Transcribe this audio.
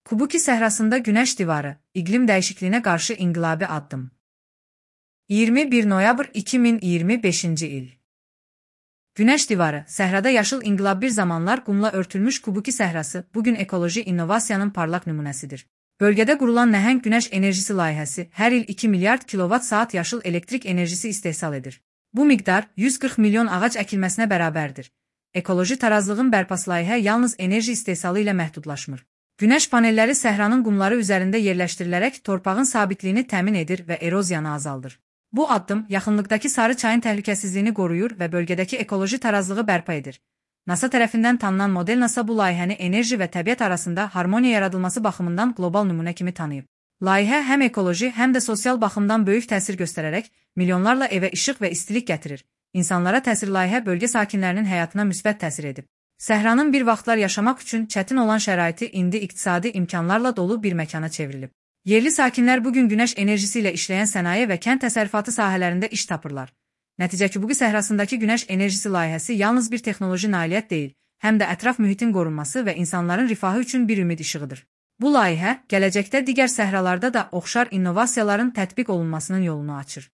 Kubuki səhrasında günəş divarı, iqlim dəyişikliyinə qarşı inqilabi addım. 21 noyabr 2025-ci il. Günəş divarı, səhrada yaşıl inqilab bir zamanlar qumla örtülmüş Kubuki səhrası, bugün ekoloji innovasiyanın parlaq nümunəsidir. Bölgədə qurulan nəhəng günəş enerjisi layihəsi hər il 2 milyard kilovat-saat yaşıl elektrik enerjisi istehsal edir. Bu miqdar 140 milyon ağac əkilməsinə bərabərdir. Ekoloji tarazlığın bərpası layihə yalnız enerji istehsalı ilə məhdudlaşmır. Günəş panelləri səhranın qumları üzərində yerləşdirilərək torpağın sabitliyini təmin edir və eroziyanı azaldır. Bu addım yaxınlıqdakı Sarı çayın təhlükəsizliyini qoruyur və bölgədəki ekoloji tarazlığı bərpa edir. NASA tərəfindən tanınan model NASA bu layihəni enerji və təbiət arasında harmoniya yaradılması baxımından qlobal nümunə kimi tanıyıb. Layihə həm ekoloji, həm də sosial baxımdan böyük təsir göstərərək milyonlarla evə işıq və istilik gətirir. İnsanlara təsir layihə bölgə sakinlərinin həyatına müsbət təsir edib. Səhranın bir vaxtlar yaşamaq üçün çətin olan şəraiti indi iqtisadi imkanlarla dolu bir məkana çevrilib. Yerli sakinlər bugün günəş enerjisi ilə işləyən sənaye və kənd təsərrüfatı sahələrində iş tapırlar. Nəticə Kubuki səhrasındakı günəş enerjisi layihəsi yalnız bir texnoloji nailiyyət deyil, həm də ətraf mühitin qorunması və insanların rifahı üçün bir ümid işığıdır. Bu layihə gələcəkdə digər səhralarda da oxşar innovasiyaların tətbiq olunmasının yolunu açır.